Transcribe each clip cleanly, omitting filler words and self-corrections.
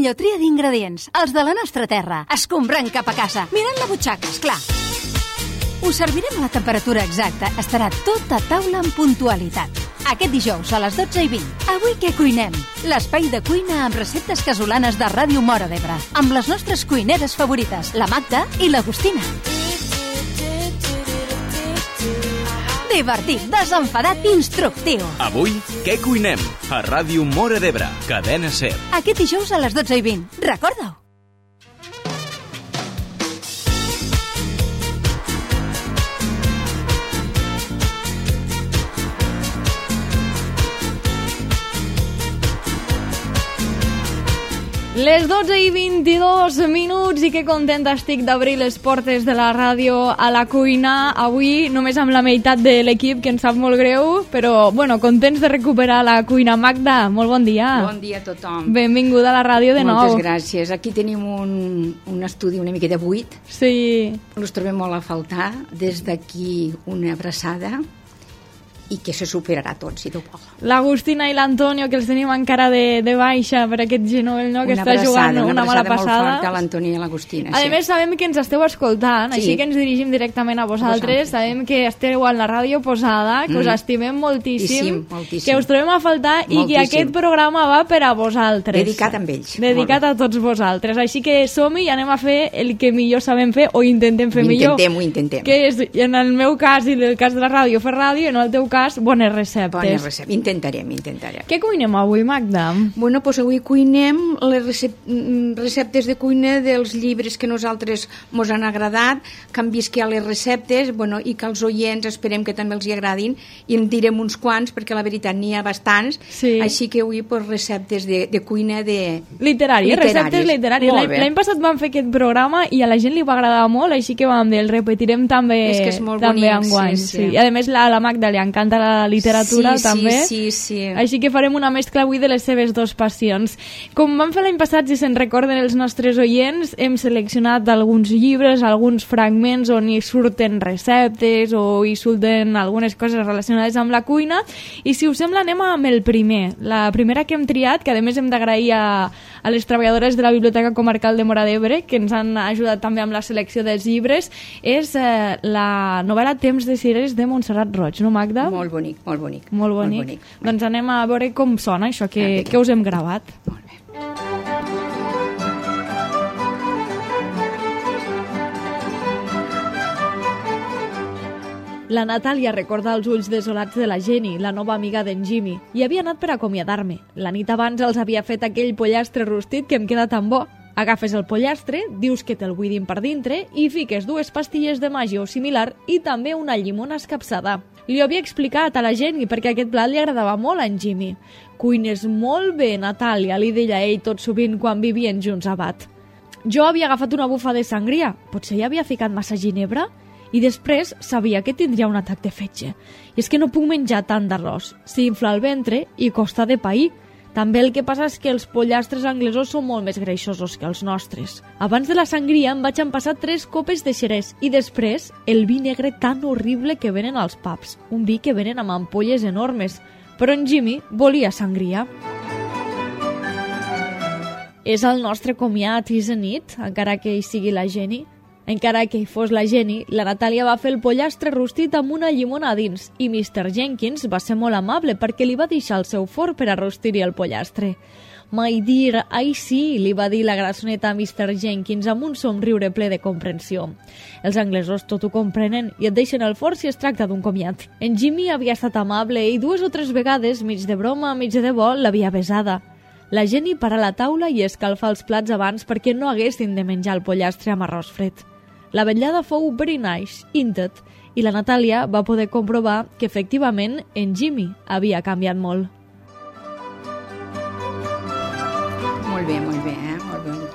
millor tria d'ingredients, els de la nostra terra, escombrant cap a casa, mirant la butxaca, esclar. Us servirem a la temperatura exacta, estarà tot a taula amb puntualitat. Aquest dijous a les 12:20. Avui què cuinem? L'espai de cuina amb receptes casolanes de Ràdio Móra d'Ebre, amb les nostres cuineres favorites, la Magda i l'Agustina. Divertit, desenfadat, instructiu. Avui, què cuinem? A Ràdio Móra d'Ebre, Cadena SER. Aquest dijous a les 12:20. Recorda-ho. Les 12:22 i que contenta estic d'obrir les portes de la ràdio a la cuina. Avui només amb la meitat de l'equip, que ens sap molt greu, però bueno, contents de recuperar la cuina. Magda, molt bon dia. Bon dia a tothom. Benvinguda a la ràdio de nou. Moltes gràcies. Aquí tenim un estudi una miqueta buit. Sí. Us trobem molt a faltar. Des d'aquí una abraçada i que se superarà tot, si Déu vol. L'Agustina i l'Antonio, que els tenim encara de baixa per aquest genoll, no? Que està jugant una mala passada. Una abraçada molt forta a l'Antonio i a l'Agustina. A més, sabem que ens esteu escoltant, sí. Així que ens dirigim directament a vosaltres. Sabem que esteu en la ràdio posada, que us estimem moltíssim, que us trobem a faltar i que aquest programa va per a vosaltres. Dedicat amb ells. Dedicat a tots vosaltres. Així que som-hi i anem a fer el que millor sabem fer o intentem fer millor. Ho intentem. Que és, en el meu cas i en el cas de la ràdio, fer ràdio, i en el teu cas, bones receptes. Bones receptes. Intentarem. Què cuinem avui, Magda? Bueno, doncs avui cuinem les receptes de cuina dels llibres que nosaltres mos han agradat, que han vist que hi ha les receptes, bueno, i que els oients esperem que també els hi agradin, i en direm uns quants, perquè la veritat n'hi ha bastants, sí. Així que avui pues, receptes de cuina literàries. Receptes literàries. L'any passat vam fer aquest programa i a la gent li va agradar molt, així que vam dir, el repetirem també, és que és molt bonic, enguany. Sí. I a més a la Magda li encanta la literatura també. Sí. Així que farem una mescla avui de les seves dues passions. Com vam fer l'any passat, si se'n recorden els nostres oients, hem seleccionat alguns llibres, alguns fragments on hi surten receptes o hi surten algunes coses relacionades amb la cuina, i si us sembla anem amb el primer. La primera que hem triat, que a més hem d'agrair a les treballadores de la Biblioteca Comarcal de Móra d'Ebre, que ens han ajudat també amb la selecció dels llibres, és la novel·la Temps de cireres de Montserrat Roig, no, Magda? Molt bonic. Doncs anem a veure com sona això que us hem gravat. Molt bé. La Natàlia recorda els ulls desolats de la Jenny, la nova amiga d'en Jimmy, i havia anat per acomiadar-me. La nit abans els havia fet aquell pollastre rostit que em queda tan bo. Agafes el pollastre, dius que te'l buidin per dintre i fiques 2 pastilles de màgia o similar i també una llimona escapçada. Li ho havia explicat a la Jenny perquè aquest plat li agradava molt a en Jimmy. Cuines molt bé, Natàlia, li deia ell tot sovint quan vivien junts a Bat. Jo havia agafat una bufa de sangria, potser hi havia ficat massa ginebra? I després sabia que tindria un atac de fetge. I és que no puc menjar tant d'arròs. S'infla el ventre i costa de pair. També el que passa és que els pollastres anglesos són molt més greixosos que els nostres. Abans de la sangria em vaig empassar 3 copes de xerès i després el vi negre tan horrible que venen als pubs. Un vi que venen amb ampolles enormes. Però en Jimmy volia sangria. És el nostre comiat, isn't it? Encara que hi sigui la Jenny. Encara que hi fos la Jenny, la Natàlia va fer el pollastre rostit amb una llimona a dins i Mr. Jenkins va ser molt amable perquè li va deixar el seu forn per a rostir-hi el pollastre. My dear, ai sí, li va dir la grassoneta a Mr. Jenkins amb un somriure ple de comprensió. Els anglesos tot ho comprenen i et deixen el forn si es tracta d'un comiat. En Jimmy havia estat amable i 2 o 3 vegades, mig de broma, mig de debò, l'havia besada. La Jenny para la taula i escalfa els plats abans perquè no haguessin de menjar el pollastre amb arròs fred. La vetllada fou very nice, intet, i la Natàlia va poder comprovar que efectivament en Jimmy havia canviat molt. Molt bé, molt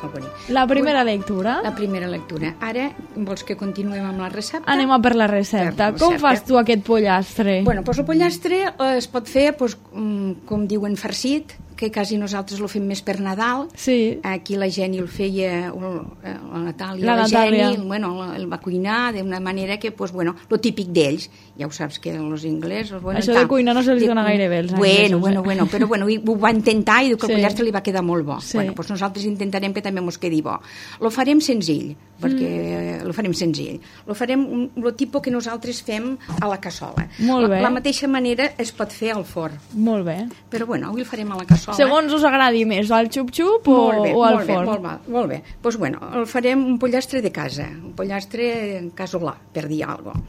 bonic. La primera lectura. La primera lectura. Ara, vols que continuem amb la recepta? Anem a per la recepta. Com fas tu aquest pollastre? Bueno, doncs el pollastre es pot fer, com diuen, farcit, que quasi nosaltres lo fem més per Nadal. Sí. Aquí la Geni el feia, la Natàlia, La Natàlia. Geni, el va cuinar d'una manera que, pues, bueno, lo típic d'ells. Ja ho saps que els inglesos... Bueno, Això de cuinar no se'ls dona gaire bé, els anglesos. Bueno, però bueno, ho va intentar i diu que el Sí. pollastre li va quedar molt bo. Sí. Bueno, doncs nosaltres intentarem que també mos quedi bo. Lo farem senzill, perquè lo farem senzill. Lo farem lo tipus que nosaltres fem a la cassola. Molt bé. La mateixa manera es pot fer al forn. Molt bé. Però bueno, avui el farem a la cassola. Segons us agradi més, al xup-xup o al forn? Molt bé. Doncs bueno, el farem un pollastre de casa, un pollastre casolà, per dir alguna cosa.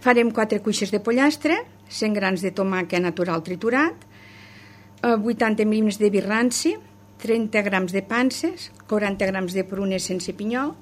Farem 4 cuixes de pollastre, 100 grans de tomàquet natural triturat, 80 mil·límetres de vi ranci, 30 grams de panses, 40 grams de prunes sense pinyol,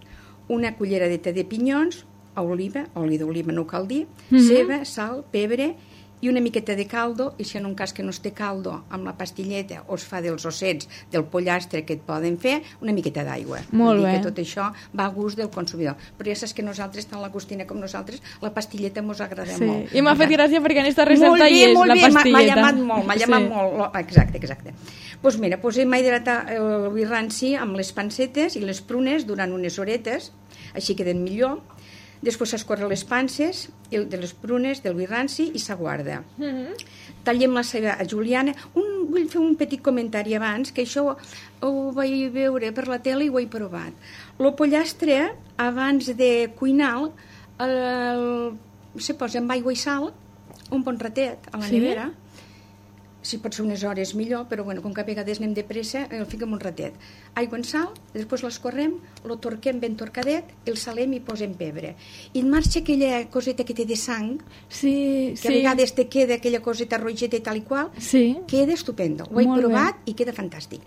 una culleradeta de pinyons, oliva, oli d'oliva no cal dir, ceba, sal, pebre i una miqueta de caldo, i si en un cas que no es té caldo amb la pastilleta o es fa dels ossets del pollastre que et poden fer, una miqueta d'aigua. Molt Vull dir bé. que tot això va a gust del consumidor. Però ja saps que nosaltres, tant l'Agustina com nosaltres, la pastilleta mos agrada molt. I m'ha fet gràcia perquè en aquesta recepta molt bé, hi és molt la bé, pastilleta. m'ha llamat molt. Exacte. Doncs mira, posem a hidratar el vi ranci amb les pancetes i les prunes durant unes horetes, així queden millor. Després s'escorren les panses de les prunes, del vi ranci, i s'aguarda. Tallem la ceba a juliana. Vull fer un petit comentari abans, que això ho vaig veure per la tele i ho he provat. El pollastre, abans de cuinar, se posa amb aigua i sal, un bon ratet a la nevera. Si pot ser unes hores millor, però bueno, com que a vegades anem de pressa, el fiquem un ratet. Aigua en sal, després l'escorrem, lo torquem ben torcadet, el salem i posem pebre. I en marxa aquella coseta que té de sang, Sí. que a vegades te queda aquella coseta rogeta i tal i qual, Sí. queda estupendo. Ho he Molt provat i queda fantàstic.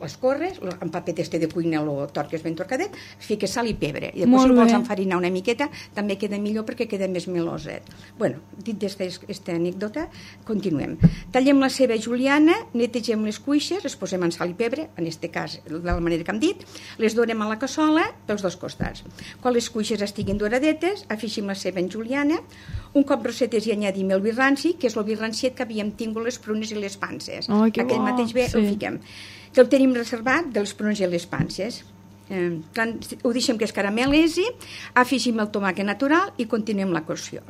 L'escorres, en papet este de cuina lo torques ben torcadet, fiques sal i pebre. I després, si Molt vols bé. enfarinar una miqueta, també queda millor perquè queda més meloset. Bueno, dit d'esta anècdota, continuem. Tallem la ceba juliana, netegem les cuixes, les posem en sal i pebre, en este cas, de la manera que hem dit, les donem a la cassola pels dos costats. Quan les cuixes estiguin doradetes, afegim la ceba en juliana, un cop rosetes i añadim el vi ranci, que és el vi ranciet que havíem tingut les prunes i les panses. Ai, que Aquell bo, mateix bé sí. el fiquem. Que el tenim reservat de les prunes i les panses. Quan ho deixem que es caramel·lesi, afegim el tomàquet natural i continuem la cocció.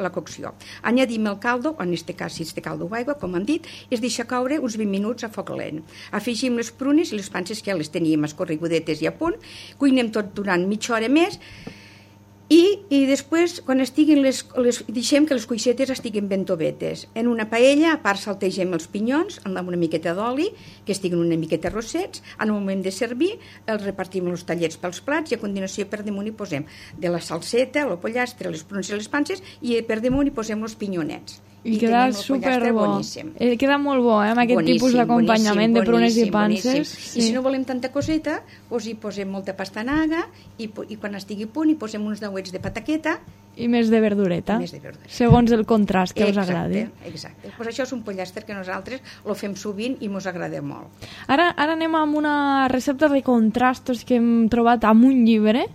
Añadim el caldo, en aquest cas si és de caldo o aigua, com hem dit, es deixa caure uns 20 minuts a foc lent. Afegim les prunes i les panses que ja les teníem escorregudetes i a punt, cuinem tot durant mitja hora més, i després, quan estiguin deixem que les cuixetes estiguin ben tovetes. En una paella, a part saltegem els pinyons amb una miqueta d'oli, que estiguin una miqueta rossets. En el moment de servir, els repartim els tallets pels plats i a continuació per damunt hi posem de la salseta, el pollastre, les prunes i les panses, i per damunt hi posem els pinyonets. I queda tenim el pollastre superbo. boníssim. Queda molt bo, amb aquest tipus d'acompanyament de prunes i panses. Sí. I si no volem tanta coseta, doncs hi posem molta pastanaga i quan estigui a punt hi posem uns dauets de pataqueta I més de verdureta. Més de verdureta. Segons el contrast que us agradi. Exacte. Pues això és un pollastre que nosaltres lo fem sovint i mos agrada molt. Ara anem amb una recepta de contrastos que hem trobat amb un llibre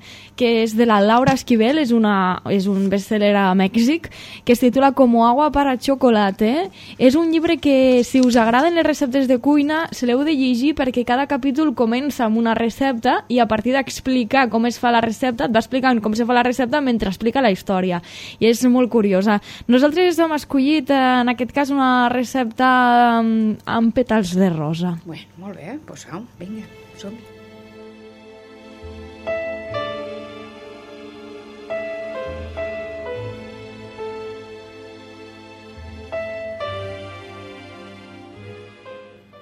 que és de la Laura Esquivel, és un bestseller a Mèxic, que es titula Como agua para chocolate. És un llibre que, si us agraden les receptes de cuina, se l'heu de llegir perquè cada capítol comença amb una recepta i a partir d'explicar com es fa la recepta, et va explicant com se fa la recepta mentre explica la història. I és molt curiosa. Nosaltres hem escollit, en aquest cas, una recepta amb pètals de rosa. Bueno, molt bé, doncs vinga, som-hi.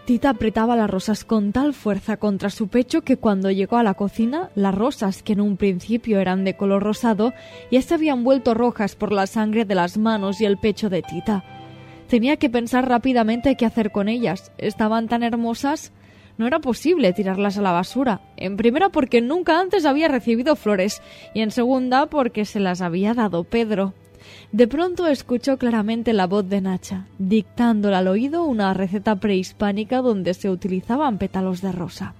Tita apretaba las rosas con tal fuerza contra su pecho que cuando llegó a la cocina, las rosas, que en un principio eran de color rosado, ya se habían vuelto rojas por la sangre de las manos y el pecho de Tita. Tenía que pensar rápidamente qué hacer con ellas. Estaban tan hermosas, no era posible tirarlas a la basura. En primera porque nunca antes había recibido flores y en segunda porque se las había dado Pedro. De pronto escuchó claramente la voz de Nacha, dictándole al oído una receta prehispánica donde se utilizaban pétalos de rosa.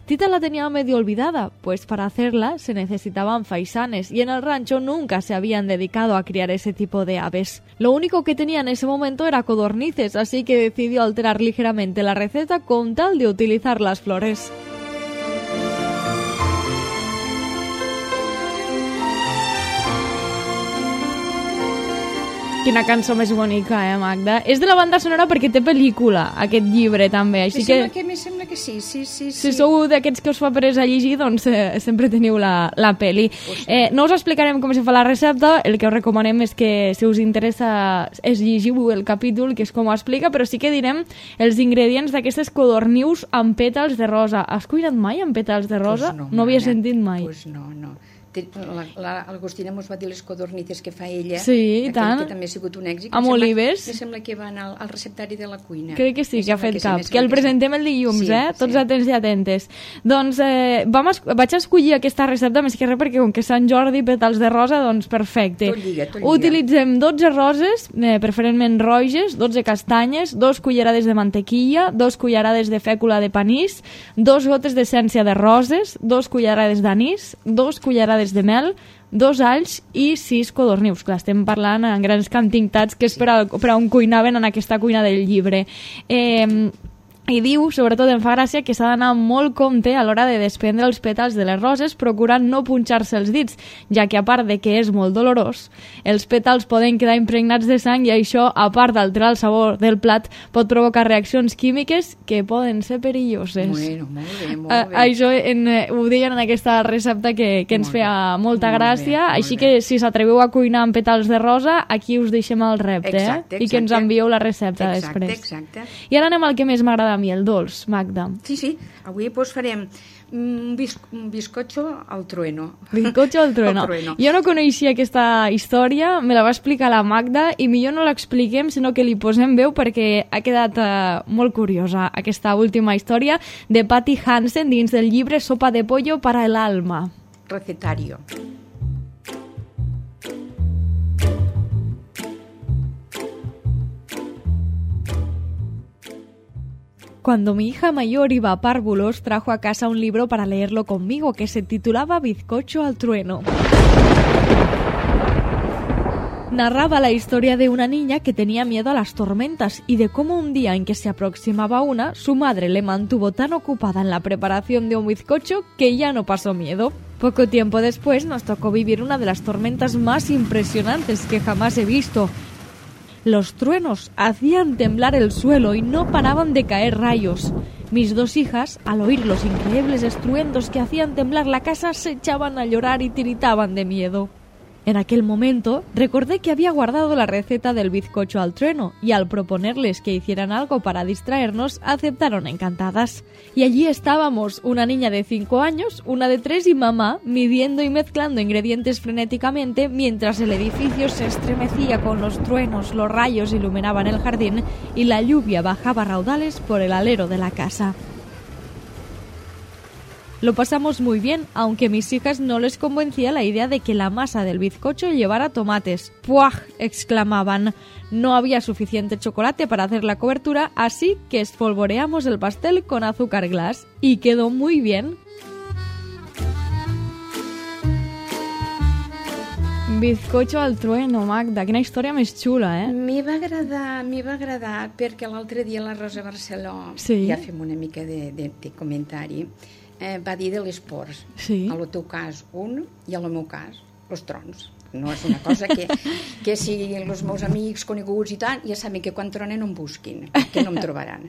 Tita la tenía medio olvidada, pues para hacerla se necesitaban faisanes y en el rancho nunca se habían dedicado a criar ese tipo de aves. Lo único que tenía en ese momento era codornices, así que decidió alterar ligeramente la receta con tal de utilizar las flores. Quina cançó més bonica, Magda? És de la banda sonora perquè té pel·lícula, aquest llibre, també. Així Me sembla que sí. Si sou d'aquests que us fa peresa a llegir, doncs sempre teniu la pel·li. No us explicarem com se fa la recepta, el que us recomanem és que, si us interessa, llegiu el capítol, que és com ho explica, però sí que direm els ingredients d'aquestes codornius amb pètals de rosa. Has cuinat mai amb pètals de rosa? Pues no havia sentit mai. Pues no. L'Agostina mos va dir les codornices que fa ella, sí, tant. Que també ha sigut un èxit. Amb olives. Me sembla que van al receptari de la cuina. Crec que sí, que ha fet cap. Que el presentem el dilluns, Tots atents i atentes. Doncs vaig escollir aquesta recepta, més que res, perquè com que Sant Jordi, pètals de rosa, doncs perfecte. Tot lliga. Utilitzem 12 roses, preferentment roges, 12 castanyes, 2 cullerades de mantequilla, 2 cullerades de fècula de panís, 2 gotes d'essència de roses, 2 cullerades d'anís, 2 cullerades de mel, 2 alls i 6 codornius. Clar, estem parlant en grans quantitats, que és per a on cuinaven en aquesta cuina del llibre. I diu, sobretot em fa gràcia, que s'ha d'anar amb molt compte a l'hora de desprendre els pètals de les roses, procurant no punxar-se els dits, ja que a part de que és molt dolorós, els pètals poden quedar impregnats de sang i això, a part d'alterar el sabor del plat, pot provocar reaccions químiques que poden ser perilloses. Bueno, molt bé. Això ho deien en aquesta recepta que ens feia molta gràcia, així que si s'atreveu a cuinar amb pètals de rosa, aquí us deixem el repte, exacte. I que ens envieu la recepta després. Exacte. I ara anem al que més m'agrada a mi, el dolç, Magda. Sí, avui farem un bizcocho al trueno. Bizcocho al trueno. Jo no coneixia aquesta història, me la va explicar la Magda i millor no l'expliquem, sinó que li posem veu perquè ha quedat molt curiosa aquesta última història de Patty Hansen dins del llibre Sopa de pollo para el alma. Recetario. Cuando mi hija mayor iba a párvulos, trajo a casa un libro para leerlo conmigo que se titulaba Bizcocho al trueno. Narraba la historia de una niña que tenía miedo a las tormentas y de cómo un día en que se aproximaba una, su madre le mantuvo tan ocupada en la preparación de un bizcocho que ya no pasó miedo. Poco tiempo después nos tocó vivir una de las tormentas más impresionantes que jamás he visto. Los truenos hacían temblar el suelo y no paraban de caer rayos. Mis 2 hijas, al oír los increíbles estruendos que hacían temblar la casa, se echaban a llorar y tiritaban de miedo. En aquel momento, recordé que había guardado la receta del bizcocho al trueno y al proponerles que hicieran algo para distraernos, aceptaron encantadas. Y allí estábamos, una niña de 5 años, una de 3 y mamá, midiendo y mezclando ingredientes frenéticamente mientras el edificio se estremecía con los truenos, los rayos iluminaban el jardín y la lluvia bajaba a raudales por el alero de la casa. Lo pasamos muy bien, aunque a mis hijas no les convencía la idea de que la masa del bizcocho llevara tomates. ¡Puaj!, exclamaban. No había suficiente chocolate para hacer la cobertura, así que espolvoreamos el pastel con azúcar glass. Y quedó muy bien. Bizcocho al trueno, Magda. Quina història més xula, M'hi va agradar perquè l'altre dia la Rosa Barceló, ja fem una mica de comentari, va dir de les pors. Sí. A lo teu cas, un, i a lo meu cas, els trons. No és una cosa que si els meus amics coneguts i tant, ja saben que quan tronen no em busquin, que no em trobaran.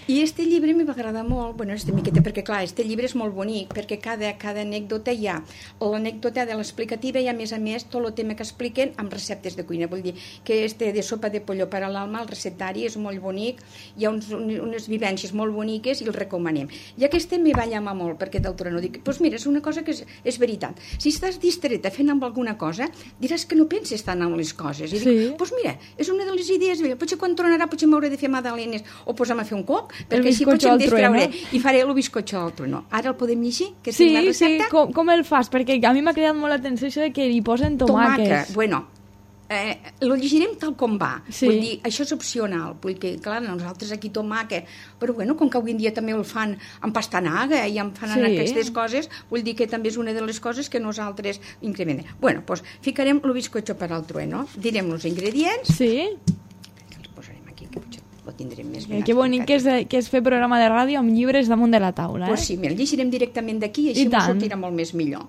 I este llibre m'hi va agradar molt, esta miqueta, perquè clar, este llibre és molt bonic, perquè cada anècdota hi ha l'anècdota de l'explicativa i a més tot el tema que expliquen amb receptes de cuina. Vull dir que de sopa de pollo per a l'alma, el recetari és molt bonic, hi ha unes vivències molt boniques i el recomanem. I aquest me va llamar molt, perquè d'altre no dic, doncs mira, és una cosa que és veritat. Si estàs distreta fent amb alguna cosa, diràs que no penses tant en les coses. I dic, doncs mira, és una de les idees, potser quan tornarà potser m'hauré de fer magdalenes o posar-me a fer un coc, perquè així potser em distrauré i faré el bizcocho al trueno. Ara el podem llegir? Que tinc la recepta? Sí, com el fas? Perquè a mi m'ha creat molt l'atenció això de que li posen tomàquets. Bueno, lo llegirem tal com va. Sí. Vull dir, això és opcional, vull dir, clar, nosaltres aquí tomàquet, però bueno, com que avui en dia també el fan amb pastanaga i en fan aquestes coses, vull dir que també és una de les coses que nosaltres incrementem. Bueno, doncs ficarem el bizcocho per al trueno, direm els ingredients. Sí. Els posarem aquí, que potser ho tindrem més ben Que bonic que és fer programa de ràdio amb llibres damunt de la taula. Pues sí, el llegirem directament d'aquí i així ens sortirà molt més millor.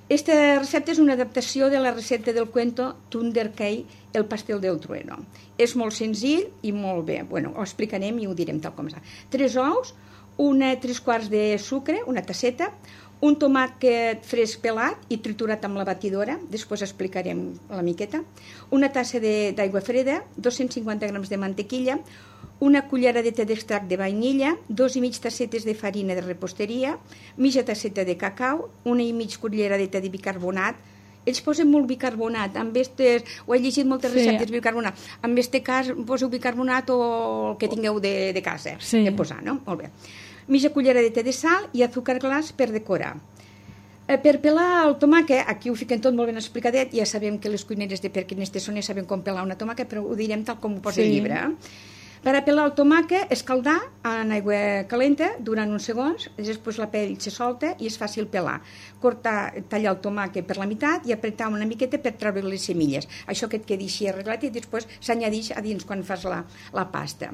Esta recepta és una adaptació de la recepta del cuento Thunder Cake, el pastel del trueno. És molt senzill i molt bé. Bueno, ho explicarem i ho direm tal com està. 3 ous, 3 quarts de sucre, una tasseta, un tomàquet fresc pelat i triturat amb la batidora, després explicarem la miqueta, una tassa d'aigua freda, 250 grams de mantequilla, una culleradeta d'extracte de vainilla, 2,5 tassetes de farina de reposteria, mitja tasseta de cacau, 1,5 culleradeta de bicarbonat. Ells posen molt bicarbonat, ho he llegit moltes receptes de bicarbonat, en aquest cas poseu bicarbonat o el que tingueu de casa, de posar, no? Molt bé. Mitja culleradeta de sal i azúcar glas per decorar. Per pelar el tomàquet, aquí ho fiquem tot molt ben explicadet, ja sabem que les cuineres de Perquineste són, ja sabem com pelar una tomàquet, però ho direm tal com ho posa el llibre. Per a pelar el tomàquet, escaldar en aigua calenta durant uns segons, després la pell se solta i és fàcil pelar. Tallar el tomàquet per la meitat i apretar una miqueta per treure les semilles. Això que et quedi així arreglat i després s'añadix a dins quan fas la pasta.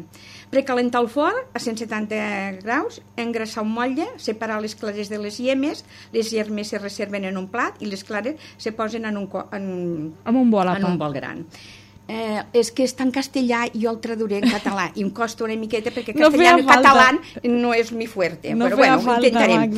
Precalentar el forn a 170 graus, engrassar un motlle, separar les clares de les llemes, les llemes se reserven en un plat i les clares se posen en un bol gran. És que està en castellà i jo el traduiré en català i em costa una miqueta perquè castellà en català no és mi fuerte, però bueno, ho intentarem.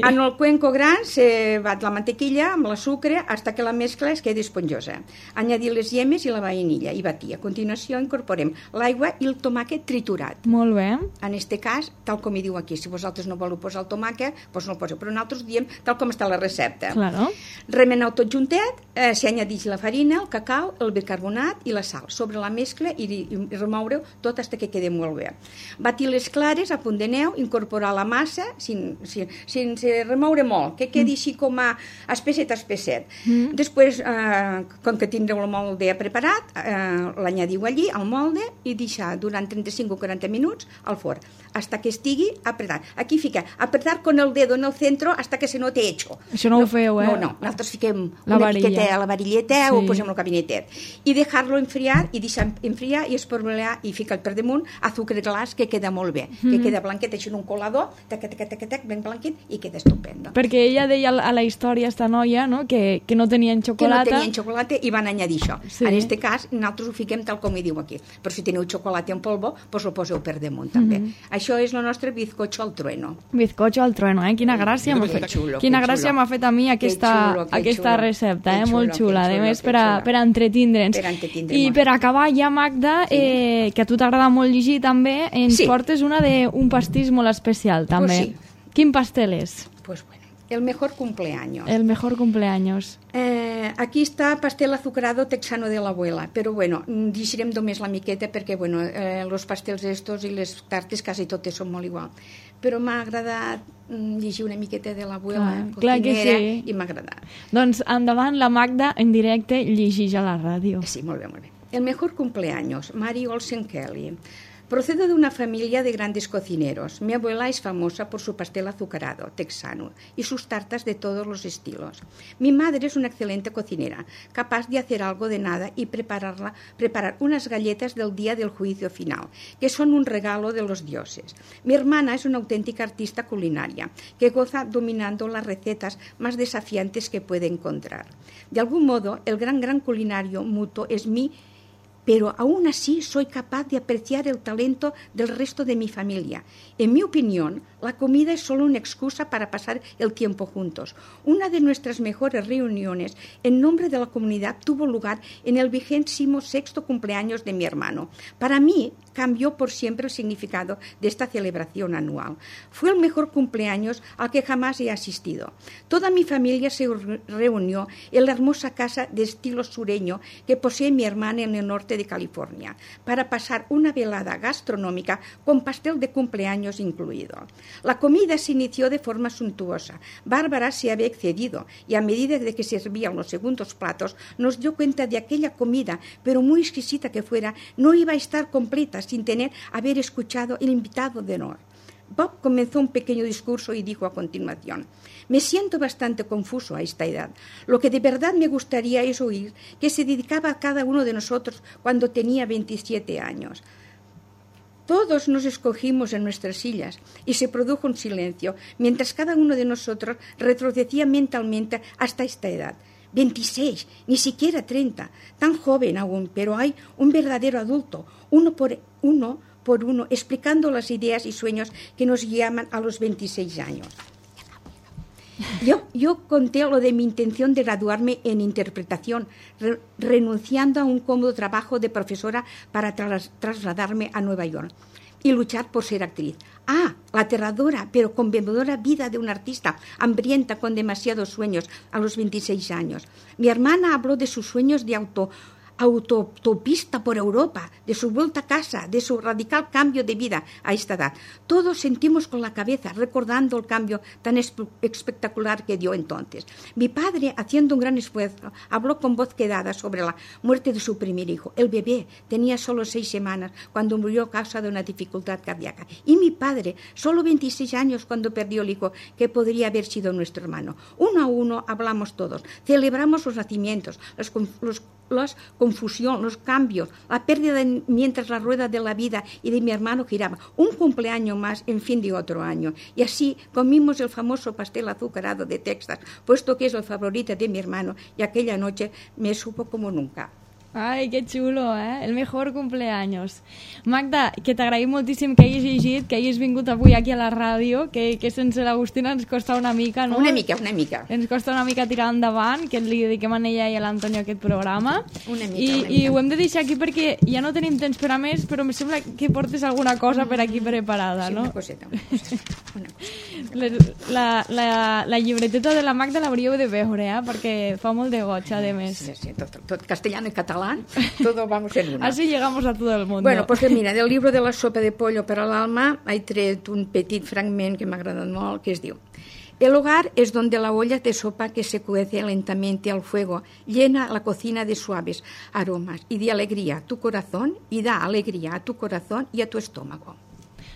En el cuenco gran se bat la mantequilla amb la sucre hasta que la mescla es quedi esponjosa. Añadir les llemes i la vainilla i batir. A continuació incorporem l'aigua i el tomàquet triturat. Molt bé. En este cas, tal com hi diu aquí, si vosaltres no voleu posar el tomàquet, doncs no el poseu, però nosaltres diem tal com està la recepta. Claro. Remeneu tot juntet, s'hi añadix la farina, el cacau, el bicarbonat i la sal sobre la mescla i remoure-ho tot fins que quedi molt bé. Batir les clares a punt de neu, incorporar la massa sense remoure molt, que quedi així com a espesset. Després, com que tindreu el molde preparat, l'anyadiu allí al molde i deixar durant 35 o 40 minuts al forn, fins que estigui apretat. Aquí fica, apretar con el dedo en el centro hasta que se note hecho. Això no ho feu, eh? No, nosaltres fiquem una miqueta a la varilleta o posem el cabinetet. I deixar-lo enfriar i deixar enfriar i espormelar i ficar per damunt azúcar glas que queda molt bé, que queda blanquet així en un colador, ben blanquet i queda estupendo. Perquè ella deia a la història, esta noia, no? que no tenien xocolata. Que no tenien xocolata i van añadir això. En aquest cas, nosaltres ho fiquem tal com hi diu aquí. Però si teniu xocolata en polvo, doncs ho poseu per damunt també. Això és el nostre bizcocho al trueno. Bizcocho al trueno, eh? Quina gràcia m'ha fet. Quina gràcia m'ha fet a mi aquesta recepta, molt xula. A més, per a entretindre'ns. I per acabar ja, Magda, que a tu t'agrada molt llegir també, ens portes un pastís molt especial també. Quin pastel és? Pues bueno, el mejor cumpleaños. El mejor cumpleaños. Aquí està pastel azucarado texano de la abuela, però bueno, llegirem només la miqueta perquè bueno, los pastels estos i les tartes quasi totes són molt igual. Però m'ha agradat llegir una miqueta de l'abuela cocinera i m'ha agradat. Doncs endavant, la Magda en directe llegeix a la ràdio. Sí, molt bé, molt bé. El mejor cumpleaños, Mary Olsen Kelly. Procedo de una familia de grandes cocineros. Mi abuela es famosa por su pastel azucarado, texano, y sus tartas de todos los estilos. Mi madre es una excelente cocinera, capaz de hacer algo de nada y preparar unas galletas del día del juicio final, que son un regalo de los dioses. Mi hermana es una auténtica artista culinaria, que goza dominando las recetas más desafiantes que puede encontrar. De algún modo, el gran culinario mutuo es mi, pero aún así soy capaz de apreciar el talento del resto de mi familia. En mi opinión, la comida es solo una excusa para pasar el tiempo juntos. Una de nuestras mejores reuniones en nombre de la comunidad tuvo lugar en el 26º cumpleaños de mi hermano. Para mí, cambió por siempre el significado de esta celebración anual. Fue el mejor cumpleaños al que jamás he asistido. Toda mi familia se reunió en la hermosa casa de estilo sureño que posee mi hermana en el norte de California para pasar una velada gastronómica con pastel de cumpleaños incluido. La comida se inició de forma suntuosa. Bárbara se había excedido y a medida de que se servían los segundos platos nos dio cuenta de aquella comida, pero muy exquisita que fuera, no iba a estar completa sin haber escuchado el invitado de honor. Bob comenzó un pequeño discurso y dijo a continuación: me siento bastante confuso a esta edad. Lo que de verdad me gustaría es oír qué se dedicaba a cada uno de nosotros cuando tenía 27 años. Todos nos escogimos en nuestras sillas y se produjo un silencio, mientras cada uno de nosotros retrocedía mentalmente hasta esta edad. 26, ni siquiera 30, tan joven aún, pero hay un verdadero adulto, uno por uno, explicando las ideas y sueños que nos guiaban a los 26 años. Yo conté lo de mi intención de graduarme en interpretación, renunciando a un cómodo trabajo de profesora para trasladarme a Nueva York y luchar por ser actriz. La aterradora pero conmovedora vida de una artista hambrienta con demasiados sueños a los 26 años. Mi hermana habló de sus sueños de autopista por Europa, de su vuelta a casa, de su radical cambio de vida a esta edad. Todos sentimos con la cabeza recordando el cambio tan espectacular que dio entonces. Mi padre, haciendo un gran esfuerzo, habló con voz quedada sobre la muerte de su primer hijo. El bebé tenía solo 6 semanas cuando murió a causa de una dificultad cardíaca. Y mi padre, solo 26 años cuando perdió el hijo que podría haber sido nuestro hermano. Uno a uno hablamos todos, celebramos los nacimientos, la confusión, los cambios, la pérdida mientras la rueda de la vida y de mi hermano giraba. Un cumpleaños más en fin de otro año. Y así comimos el famoso pastel azucarado de Texas, puesto que es el favorito de mi hermano, y aquella noche me supo como nunca. Ai, que xulo, El mejor cumpleaños. Magda, que t'agraïm moltíssim que hagis llegit, que hagis vingut avui aquí a la ràdio, que sense l'Agustina ens costa una mica, no? Una mica. Ens costa una mica tirar endavant, que li dediquem a ella i a l'Antonio aquest programa. Una mica. I ho hem de deixar aquí perquè ja no tenim temps per a més, però em sembla que portes alguna cosa per aquí preparada, no? Sí, una coseta. La llibreteta de la Magda l'hauríeu de veure, perquè fa molt de goig, a més. Sí, tot castellano y catalán, todo vamos en una. Así llegamos a todo el mundo. Bueno, pues mira, del libro de la sopa de pollo para el alma he tret un petit fragment que m'ha agradat molt, que es diu: el hogar es donde la olla de sopa que se cuece lentamente al fuego llena la cocina de suaves aromas y de alegría a tu corazón y da alegría a tu corazón y a tu estómago.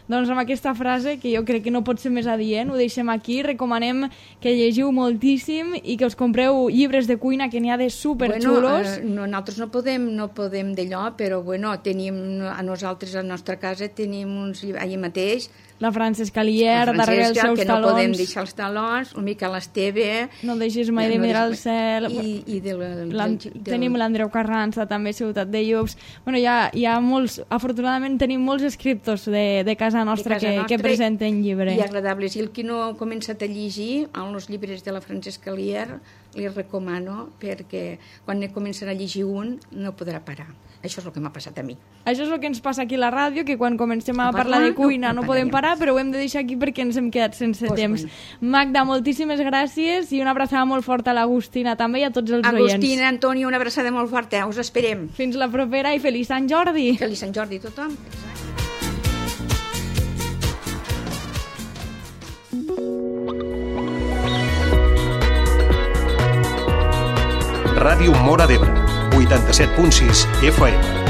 Doncs amb aquesta frase, que jo crec que no pot ser més adient, ho deixem aquí. Recomanem que llegiu moltíssim i que us compreu llibres de cuina, que n'hi ha de superxulos. Nosaltres no podem d'allò, però tenim a nosaltres, a la nostra casa, tenim uns llibres allà mateix. La Francesca Lier, darrere els seus que talons. No podem deixar els talons, el Miquel Esteve. No deixis mai de mirar al cel. Tenim l'Andreu Carranza, també, Ciutat de Llups. Bueno, hi ha molts, afortunadament tenim molts escriptors de casa nostra que presenten llibres. I agradables. I el que no ha començat a llegir els llibres de la Francesca Lier, li recomano, perquè quan començarà a llegir un no podrà parar. Això és el que m'ha passat a mi. Això és el que ens passa aquí a la ràdio, que quan comencem a parlar de cuina no podem parar, però ho hem de deixar aquí perquè ens hem quedat sense temps. Magda, moltíssimes gràcies i una abraçada molt forta a l'Agustina també i a tots els oients. Agustina, Antoni, una abraçada molt forta. Us esperem. Fins la propera i feliç Sant Jordi. Feliç Sant Jordi a tothom. Ràdio Móra d'Ebre, 87.6 FM.